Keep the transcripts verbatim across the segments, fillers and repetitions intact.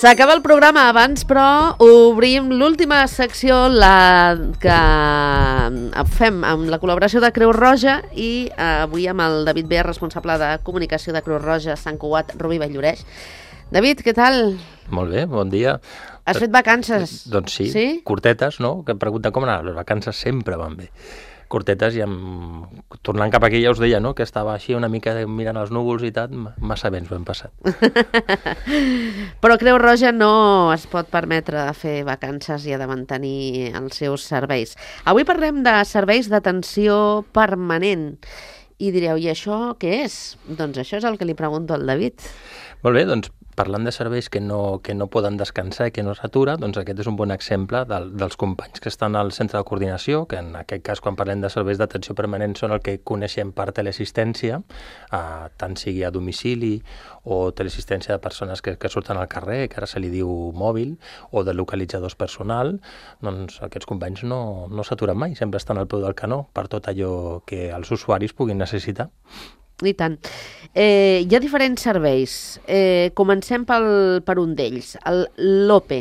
S'acaba el programa abans, però obrim l'última secció, la que fem amb la col·laboració de Creu Roja i avui amb el David Bea, responsable de comunicació de Creu Roja, Sant Cugat, Rubí Valllloreix. David, què tal? Molt bé, bon dia. Has fet vacances? Doncs sí, sí? Curtetes, no? Que em pregunten com anar, les vacances sempre van bé. Curtetes i amb... tornant cap aquí ja us deia, no?, que estava així una mica mirant els núvols i tal, massa bé ens ho hem passat. Però Creu Roja no es pot permetre fer vacances i ha de mantenir els seus serveis. Avui parlem de serveis d'atenció permanent. I direu, i això què és? Doncs això és el que li pregunto al David. Molt bé, doncs parlant de serveis que no, que no poden descansar i que no s'atura, doncs aquest és un bon exemple del, dels companys que estan al centre de coordinació, que en aquest cas, quan parlem de serveis d'atenció permanent, són el que coneixem per teleassistència, eh, tant sigui a domicili o teleassistència de persones que, que surten al carrer, que ara se li diu mòbil, o de localitzadors personal, doncs aquests companys no, no s'aturen mai, sempre estan al peu del canó per tot allò que els usuaris puguin necessitar. I tant. Eh, hi ha diferents serveis. Eh, comencem pel, per un d'ells, el l'OPE.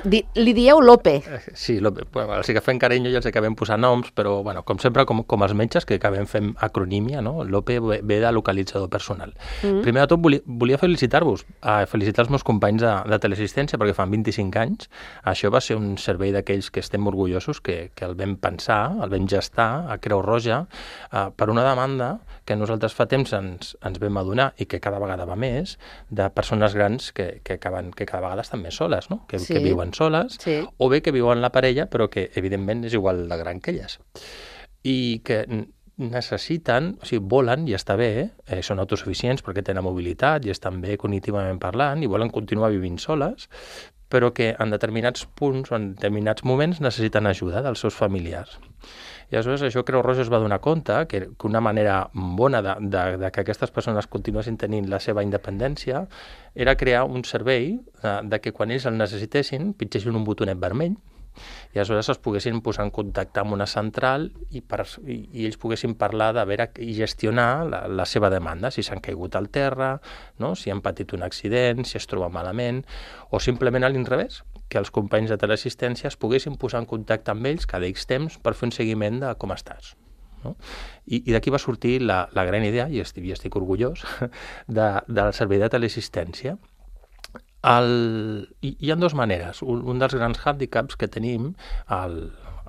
Di, li dieu l'OPE? Sí, l'OPE. Bueno, els que fem carinyo i els acabem posant noms, però bueno, com sempre, com, com els metges, que acabem fent acronímia, no? L'OPE ve, ve de localitzador personal. Mm. Primer de tot, volia, volia felicitar-vos, eh, felicitar els meus companys de, de teleassistència, perquè fan vint-i-cinc anys. Això va ser un servei d'aquells que estem orgullosos, que, que el vam pensar, el vam gestar a Creu Roja, eh, per una demanda que nosaltres fa temps ens, ens vam adonar i que cada vegada va més, de persones grans que, que, acaben, que cada vegada estan més soles, no? que, sí. que viuen soles, sí. o bé que viuen la parella, però que evidentment és igual de gran que elles. I que necessiten, o sigui, volen, i està bé, eh, són autosuficients perquè tenen mobilitat i estan bé cognitivament parlant i volen continuar vivint soles, però que en determinats punts o en determinats moments necessiten ajuda dels seus familiars. I aleshores això Creu Roja es va donar compte que, que una manera bona de, de, de que aquestes persones continuessin tenint la seva independència era crear un servei de, de que quan ells el necessitessin pitgessin un botonet vermell i aleshores es poguessin posar en contacte amb una central i, per, i, i ells poguessin parlar de veure i gestionar la, la seva demanda, si s'han caigut al terra, no? Si han patit un accident, si es troba malament, o simplement a l'inrevés, que els companys de teleassistència es poguessin posar en contacte amb ells cada X temps per fer un seguiment de com estàs. No? I, i d'aquí va sortir la, la gran idea, i estic, i estic orgullós, de, del servei de teleassistència. El, hi, hi ha dues maneres. Un, un dels grans hàndicaps que tenim al,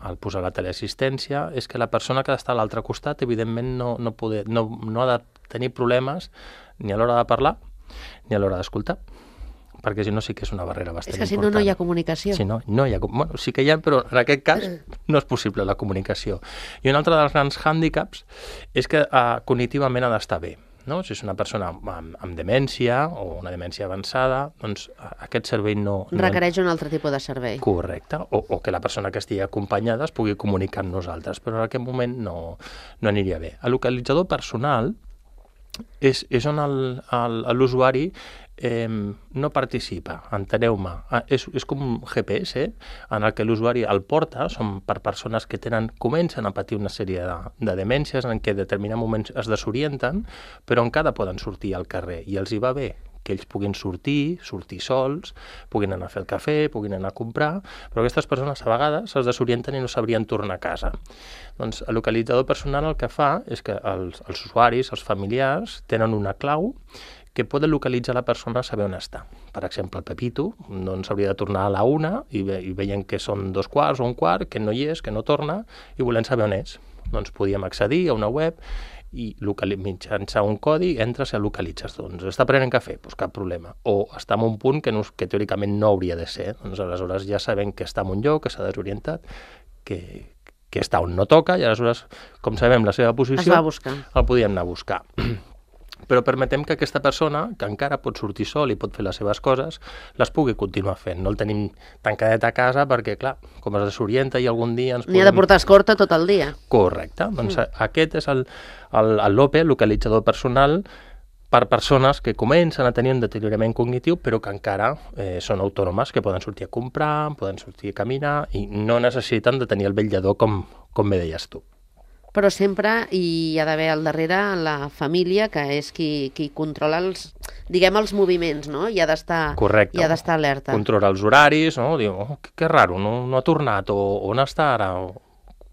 al posar la teleassistència és que la persona que està a l'altre costat evidentment no, no, poder, no, no ha de tenir problemes ni a l'hora de parlar ni a l'hora d'escoltar, perquè si no sí que és una barrera bastant important. És que si no, no hi ha comunicació. Si no, no hi ha, bueno, sí que hi ha, però en aquest cas no és possible la comunicació. I un altre dels grans hàndicaps és que uh, cognitivament ha d'estar bé. No? Si és una persona amb, amb demència o una demència avançada, doncs aquest servei no... Requereix no... un altre tipus de servei. Correcte, o, o que la persona que estigui acompanyada es pugui comunicar amb nosaltres, però en aquest moment no, no aniria bé. El localitzador personal és, és on l'usuari eh, no participa, enteneu-me. És, és com un G P S en el que l'usuari el porta, són per persones que tenen, comencen a patir una sèrie de, de demències en què en determinats moments es desorienten, però encara poden sortir al carrer i els hi va bé que ells puguin sortir, sortir sols, puguin anar a fer el cafè, puguin anar a comprar, però aquestes persones a vegades es desorienten i no sabrien tornar a casa. Doncs el localitzador personal el que fa és que els, els usuaris, els familiars, tenen una clau que poden localitzar la persona a saber on està. Per exemple, el Pepito doncs hauria de tornar a la una i, ve, i veient que són dos quarts o un quart, que no hi és, que no torna, i volem saber on és. Doncs podíem accedir a una web i mitjançant un codi entres i el localitzes. Doncs està prenent cafè, doncs cap problema. O està en un punt que, no, que teòricament no hauria de ser. Doncs aleshores ja sabem que està en un lloc, que s'ha desorientat, que, que està on no toca, i aleshores, com sabem la seva posició, es va buscar. El podíem anar a buscar. però permetem que aquesta persona, que encara pot sortir sol i pot fer les seves coses, les pugui continuar fent. No el tenim tancadet a casa perquè, clar, com es desorienta i algun dia ens N'hi ha de portar escorta tot el dia. Correcte. Doncs mm. aquest és el, el, el LOPE, el localitzador personal, per persones que comencen a tenir un deteriorament cognitiu però que encara eh, són autònomes, que poden sortir a comprar, poden sortir a caminar i no necessiten de tenir el vetllador com, com bé deies tu. Però sempre hi ha d'haver al darrere la família, que és qui, qui controla els, diguem, els moviments, no? I ha d'estar i ha d'estar alerta. Controla els horaris, no? Diu, oh, que, que raro, no, no ha tornat, o on està ara? O...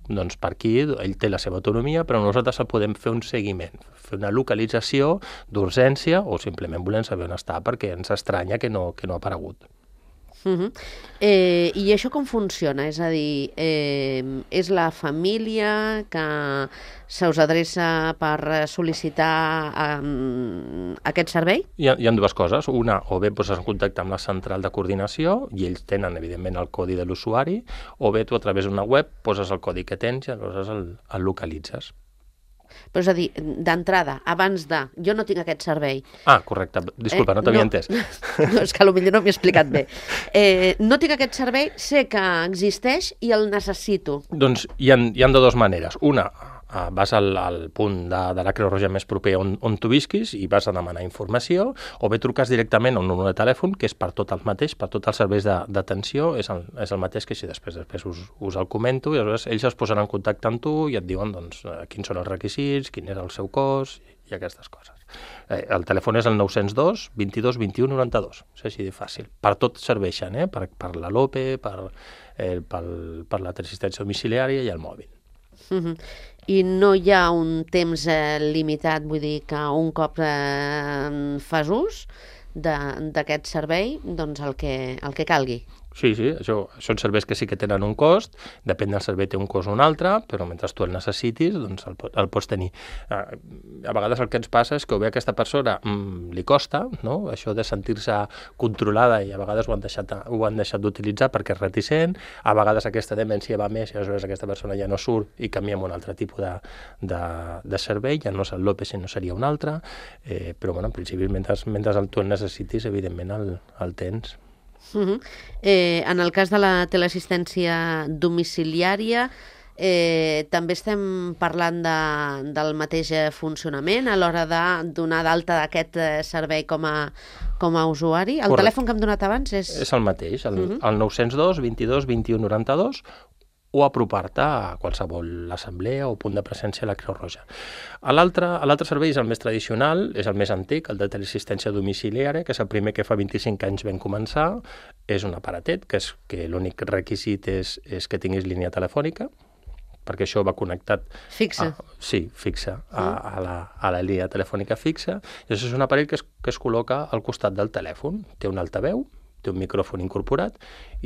Doncs per aquí ell té la seva autonomia, però nosaltres podem fer un seguiment, fer una localització d'urgència o simplement volem saber on està perquè ens estranya que no, que no ha aparegut. Uh-huh. eh, I això com funciona? És a dir, eh, és la família que se us adreça per sol·licitar um, aquest servei? Hi ha, hi ha dues coses. Una, o bé poses en contacte amb la central de coordinació i ells tenen, evidentment, el codi de l'usuari, o bé tu a través d'una web poses el codi que tens i aleshores el, el localitzes. Però és a dir, d'entrada, abans de... Jo no tinc aquest servei. Ah, correcte. Disculpa, eh, no t'havia no, entès. No, és que potser no m'he explicat bé. Eh, no tinc aquest servei, sé que existeix i el necessito. Doncs hi ha, hi ha de dues maneres. Una, Uh, vas al, al punt de, de la Creu Roja més proper on, on tu visquis i vas a demanar informació, o bé truques directament a un número de telèfon que és per tot el mateix, per tots els serveis d'atenció, és, el, és el mateix que si després, després us, us el comento i aleshores ells es posaran en contacte amb tu i et diuen doncs, quins són els requisits, quin és el seu cost i aquestes coses. Eh, el telèfon és el nou zero dos, vint-i-dos, vint-i-u, noranta-dos, és així de fàcil. Per tot serveixen, eh? per, per la LOPE, per, eh, per, per la teleassistència domiciliària i el mòbil. Uh-huh. I no hi ha un temps eh, limitat, vull dir que un cop eh, fas ús d'aquest servei, doncs el que, el que calgui. Sí, sí, això, són serveis que sí que tenen un cost, depèn del servei té un cost o un altre, però mentre tu el necessitis, doncs el, el pots tenir. A vegades el que ens passa és que o bé a aquesta persona mm, li costa, no? Això de sentir-se controlada i a vegades ho han deixat, ho han deixat d'utilitzar perquè és reticent, a vegades aquesta demència va més i aleshores aquesta persona ja no surt i canvia un altre tipus de, de, de servei, ja no és el LOPE, sinó seria un altre, eh, però bueno, en principi mentre, mentre el tu el necessitis, evidentment el, el tens. Uh-huh. eh, en el cas de la teleassistència domiciliària, eh, també estem parlant de, del mateix funcionament a l'hora de donar d'alta d'aquest servei com a, com a usuari. El Correcte. Telèfon que hem donat abans és... És el mateix, el, uh-huh. el nou zero dos, vint-i-dos, vint-i-u, noranta-dos, o apropar-te a qualsevol assemblea o punt de presència a la Creu Roja. L'altre servei és el més tradicional, és el més antic, el de teleassistència domiciliària, que és el primer que fa vint-i-cinc anys vam començar. És un aparatet, que, és, que l'únic requisit és, és que tinguis línia telefònica, perquè això va connectat... Fixa. A, sí, fixa, a, a, la, a la línia telefònica fixa. I això és un aparell que es, que es col·loca al costat del telèfon. Té un altaveu, té un micròfon incorporat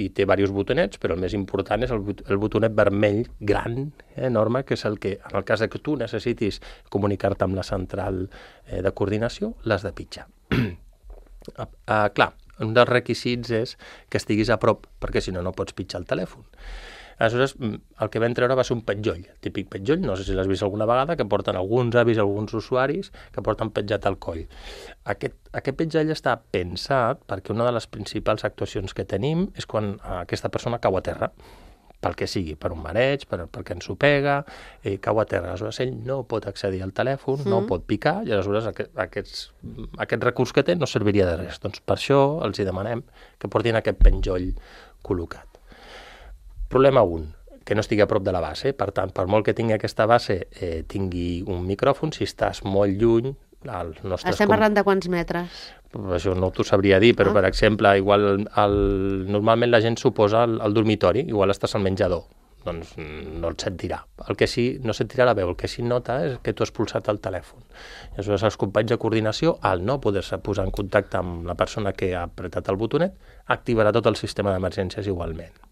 i té diversos botonets, però el més important és el, el botonet vermell gran, eh, enorme, que és el que, en el cas que tu necessitis comunicar-te amb la central eh, de coordinació, l'has de pitjar. uh, uh, clar, un dels requisits és que estiguis a prop, perquè si no, no pots pitjar el telèfon. Aleshores, el que vam treure va ser un petjoll, típic petjoll, no sé si l'has vist alguna vegada, que porten alguns avis, alguns usuaris, que porten petjat al coll. Aquest, aquest petjoll està pensat perquè una de les principals actuacions que tenim és quan aquesta persona cau a terra, pel que sigui, per un mareig, per, perquè ensopega, eh, cau a terra. Aleshores, ell no pot accedir al telèfon, mm. no pot picar, i aleshores aquest, aquests, aquest recurs que té no serviria de res. Doncs per això els hi demanem que portin aquest penjoll col·locat. Problema un, que no estigui a prop de la base. Per tant, per molt que tingui aquesta base, eh, tingui un micròfon, si estàs molt lluny... Els nostres Estem parlant de quants metres? Això no t'ho sabria dir, però, ah. per exemple, igual el, normalment la gent s'oposa al, al dormitori, igual estàs al menjador, doncs no et sentirà. El que sí, no sentirà la veu, el que sí nota és que tu has pulsat el telèfon. I aleshores els companys de coordinació, al no poder-se posar en contacte amb la persona que ha apretat el botonet, activarà tot el sistema d'emergències igualment.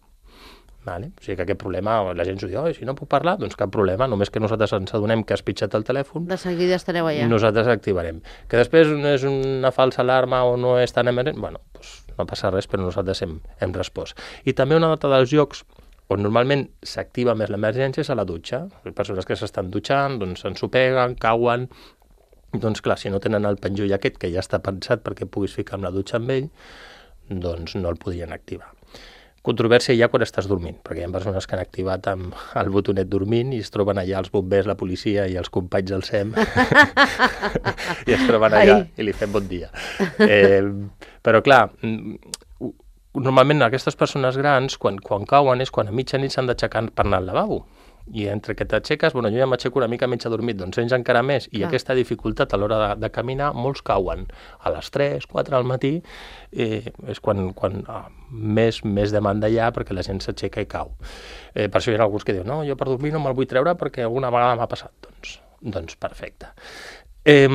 Vale? O sigui que aquest problema, la gent s'ho diu, oh, si no puc parlar, doncs cap problema, només que nosaltres ens adonem que has pitjat el telèfon, de seguida estareu allà. Nosaltres activarem. Que després és una falsa alarma o no és tan emergent, bueno, doncs no passa res, però nosaltres hem, hem respost. I també una altra dels llocs on normalment s'activa més l'emergència és a la dutxa. Les persones que s'estan dutxant, doncs s'ensopeguen, cauen, Doncs clar, si no tenen el penjoll aquest, que ja està pensat perquè puguis ficar amb la dutxa amb ell, doncs no el podien activar. Controvèrsia ja quan estàs dormint, perquè hi ha persones que han activat amb el botonet dormint i es troben allà els bombers, la policia i els companys del S E M i es troben allà Ai. I li fem bon dia. Eh, però clar, normalment aquestes persones grans, quan, quan cauen, és quan a mitjanit s'han d'aixecar per anar al lavabo. I entre que t'aixeques, bueno, jo ja m'aixeco una mica menys adormit, doncs ells encara més, i Clar. Aquesta dificultat a l'hora de, de caminar, molts cauen a les tres, quatre del matí, eh, és quan, quan ah, més, més demanda hi ha perquè la gent s'aixeca i cau. Eh, per això hi ha alguns que diuen, no, jo per dormir no me'l vull treure perquè alguna vegada m'ha passat. Doncs, doncs perfecte. Eh,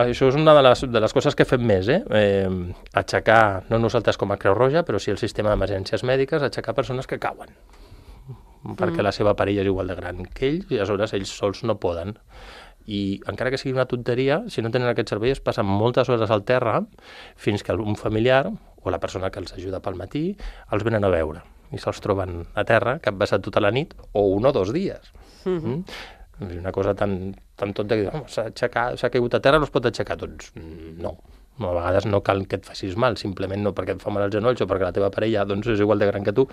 això és una de les, de les coses que fem més, eh? eh? Aixecar, no nosaltres com a Creu Roja, però sí el sistema d'emergències mèdiques, aixecar persones que cauen. Perquè mm. la seva parella és igual de gran que ells i aleshores ells sols no poden. I encara que sigui una tonteria, si no tenen aquest servei es passen moltes hores al terra fins que un familiar o la persona que els ajuda pel matí els venen a veure i se'ls troben a terra que han passat tota la nit o un o dos dies. Mm-hmm. Mm? Una cosa tan, tan tonta que oh, s'ha caigut a terra, no es pot aixecar. Doncs no. A vegades no cal que et facis mal, simplement no perquè et fa mal els genolls o perquè la teva parella doncs, és igual de gran que tu,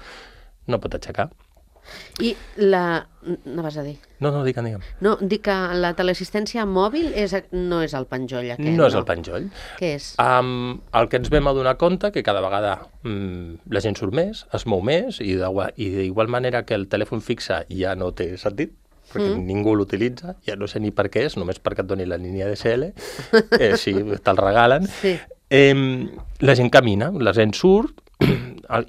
no pot aixecar. I la... no vas a dir? No, no, digue'm, digue'm. No, dic que la teleassistència mòbil és, no és el penjoll aquest, no? No és el penjoll. Què és? Um, el que ens vam adonar compte que cada vegada um, la gent surt més, es mou més, i d'igual manera que el telèfon fixe ja no té sentit, perquè mm. ningú l'utilitza, ja no sé ni per què és, només perquè et doni la línia D S L, eh, si te'l regalen. Sí. Eh, la gent camina, la gent surt,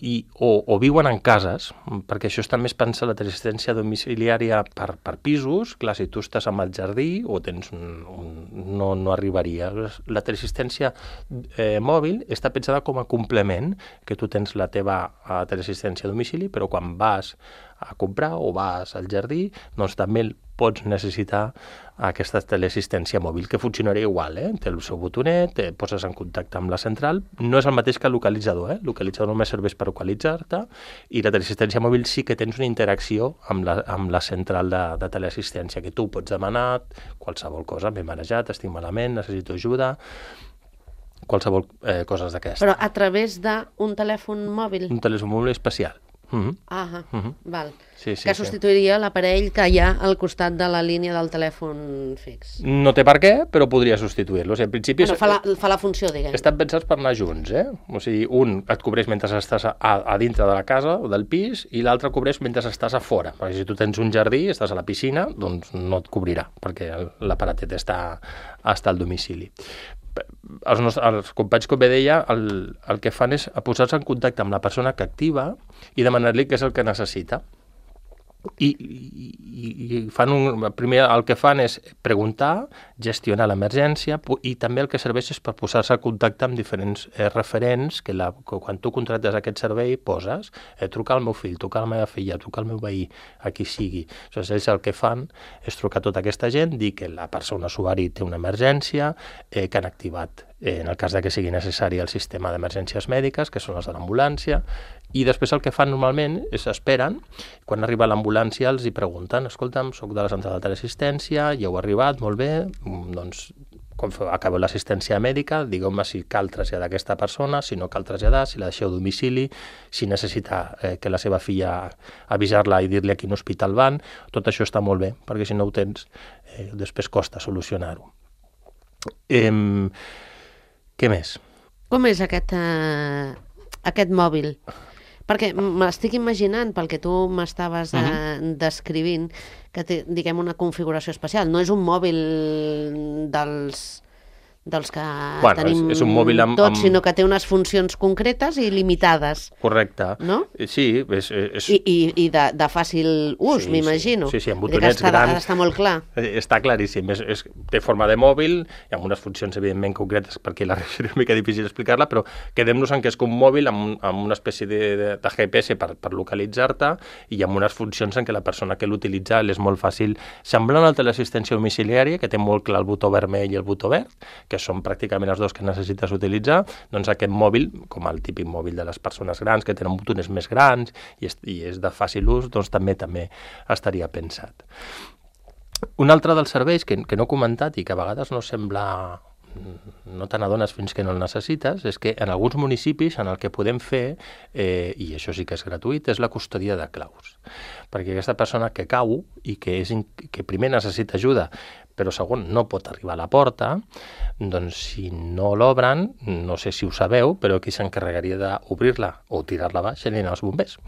I, o, o viuen en cases, perquè això també es pensa la teleassistència domiciliària per, per pisos. Clar, si tu estàs amb el jardí o tens un, un, no, no arribaria. La teleassistència eh, mòbil està pensada com a complement, que tu tens la teva uh, teleassistència a domicili, però quan vas a comprar o vas al jardí, doncs també pots necessitar aquesta teleassistència mòbil, que funcionaria igual, eh? Té el seu botonet, et poses en contacte amb la central, no és el mateix que el localitzador, eh? El localitzador només serveix per localitzar-te, i la teleassistència mòbil sí que tens una interacció amb la, amb la central de, de teleassistència, que tu pots demanar qualsevol cosa, m'he marejat, estic malament, necessito ajuda, qualsevol eh, coses d'aquestes. Però a través d'un telèfon mòbil? Un telèfon mòbil especial. Uh-huh. Ah, uh-huh. Val. Sí, sí, que substituiria sí. l'aparell que hi ha al costat de la línia del telèfon fix. No té per què, però podria substituir-lo. O sigui, en principi... Bueno, fa, la, fa la funció, diguem. Estan pensats per anar junts, eh? O sigui, un et cobreix mentre estàs a, a dintre de la casa o del pis i l'altre cobreix mentre estàs a fora. Perquè si tu tens un jardí, estàs a la piscina, doncs no et cobrirà, perquè l'aparatet està, està al domicili. Els, nostres, els companys, com bé deia, el, el que fan és posar-se en contacte amb la persona que activa i demanar-li què és el que necessita. I, i, i fan un, primer el que fan és preguntar, gestionar l'emergència i també el que serveix és per posar-se en contacte amb diferents eh, referents que, la, que quan tu contractes aquest servei poses eh, trucar al meu fill, trucar a la meva filla, trucar al meu veí, a qui sigui. Aleshores, ells el que fan és trucar tota aquesta gent, dir que la persona usuari té una emergència, eh, que han activat eh, en el cas de que sigui necessari el sistema d'emergències mèdiques, que són les de l'ambulància, i després el que fan normalment és esperen, quan arriba l'ambulància els hi pregunten, escolta'm, soc de la central de teleassistència, ja heu arribat, molt bé, doncs quan acabeu l'assistència mèdica, digueu-me si cal traslladar aquesta persona, si no cal traslladar, si la deixeu a domicili, si necessita eh, que la seva filla avisar-la i dir-li a quin hospital van, tot això està molt bé, perquè si no ho tens, eh, després costa solucionar-ho. Eh, què més? Com és aquest, eh, aquest mòbil? Perquè m'estic imaginant, pel que tu m'estaves uh-huh. eh, descrivint, que té, diguem, una configuració especial. No és un mòbil dels, dels que bueno, tenim és, és un mòbil amb, tots, amb... sinó que té unes funcions concretes i limitades. Correcte. No? Sí. És, és... I, i, i de, de fàcil ús, sí, m'imagino. Sí, sí, amb botonets està, grans. Està molt clar. Està claríssim. És, és, té forma de mòbil, hi ha unes funcions evidentment concretes perquè la és una mica difícil explicar-la, però quedem-nos en que és com un mòbil amb, amb una espècie de, de, de G P S per, per localitzar-te i amb unes funcions en què la persona que l'utilitza és molt fàcil. Semblant al teleassistència domiciliària, que té molt clar el botó vermell i el botó verd, que són pràcticament els dos que necessites utilitzar, doncs aquest mòbil, com el típic mòbil de les persones grans, que tenen botoners més grans i és, i és de fàcil ús, doncs també també estaria pensat. Un altre dels serveis que, que no he comentat i que a vegades no sembla, no te n'adones fins que no el necessites, és que en alguns municipis en el que podem fer, eh, i això sí que és gratuït, és la custòdia de claus. Perquè aquesta persona que cau i que, és, que primer necessita ajuda, però segon no pot arribar a la porta, doncs si no l'obren, no sé si ho sabeu, però qui s'encarregaria d'obrir-la o tirar-la baix serien els bombers.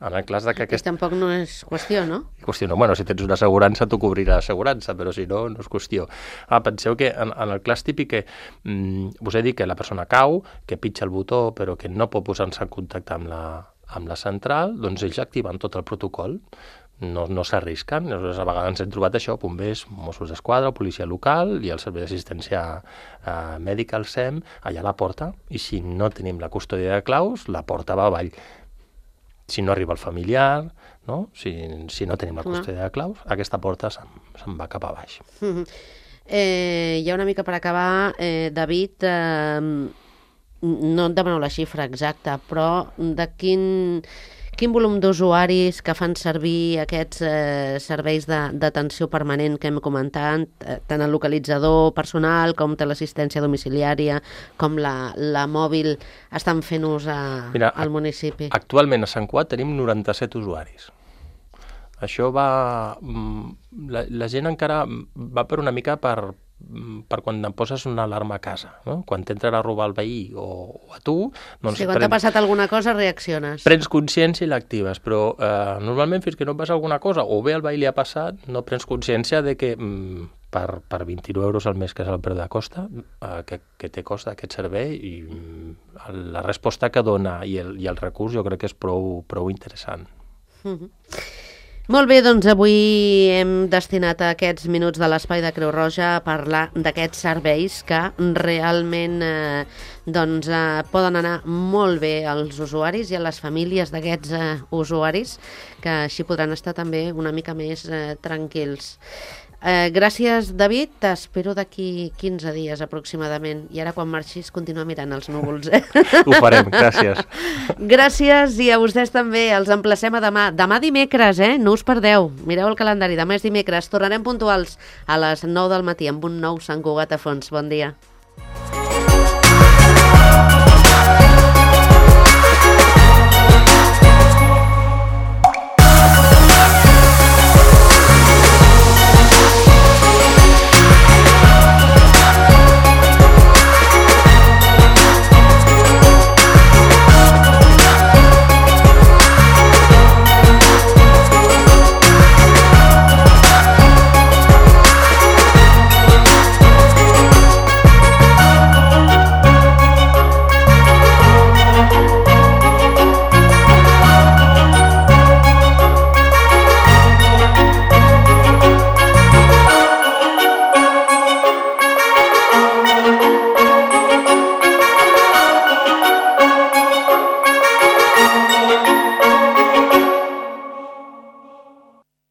En el cas de que aquest... I tampoc no és qüestió, no? Qüestió no. Bueno, si tens una assegurança, t'ho cobrirà l'assegurança, però si no, no és qüestió. Ah, penseu que en, en el cas típic que mm, us he dit que la persona cau, que pitja el botó, però que no pot posar-se en contacte amb la, amb la central, doncs ells activen tot el protocol, no, no s'arrisquen. Llavors, a vegades ens hem trobat això, bombers, Mossos d'Esquadra, policia local i el servei d'assistència eh, mèdica, el S E M, allà a la porta, i si no tenim la custòdia de claus, la porta va avall. Si no arriba el familiar, no? Si, si no tenim la custòdia de claus, aquesta porta se'n, se'n va cap a baix. Mm-hmm. eh, ja una mica per acabar, eh, David, eh, no et demano la xifra exacta, però de quin, quin volum d'usuaris que fan servir aquests eh, serveis d'atenció permanent que hem comentat, eh, tant el localitzador personal com té l'assistència domiciliària, com la, la mòbil, estan fent ús a, Mira, al municipi? Actualment a Sant Cugat tenim noranta-set usuaris. Això va... La, la gent encara va per una mica per, per quan em poses una alarma a casa, no? Quan t'entren a robar el veí o, o a tu... Doncs sí, quan t'ha passat alguna cosa reacciones. Prens consciència i l'actives, però eh, normalment fins que no passa alguna cosa, o bé el veí li ha passat, no prens consciència de que mm, per, per vint-i-nou euros al mes, que és el preu de costa, eh, que, que té costa aquest servei, i mm, la resposta que dona i el, i el recurs jo crec que és prou, prou interessant. Mm-hmm. Molt bé, doncs avui hem destinat aquests minuts de l'Espai de Creu Roja a parlar d'aquests serveis que realment eh, doncs, eh, poden anar molt bé als usuaris i a les famílies d'aquests eh, usuaris, que així podran estar també una mica més eh, tranquils. Eh, gràcies, David. T'espero d'aquí quinze dies aproximadament. I ara, quan marxis, continua mirant els núvols. Eh? Ho farem, gràcies. Gràcies, i a vostès també. Els emplacem a demà. Demà dimecres, eh? No us perdeu. Mireu el calendari. Demà és dimecres. Tornarem puntuals a les nou del matí amb un nou Sant Cugat a fons. Bon dia.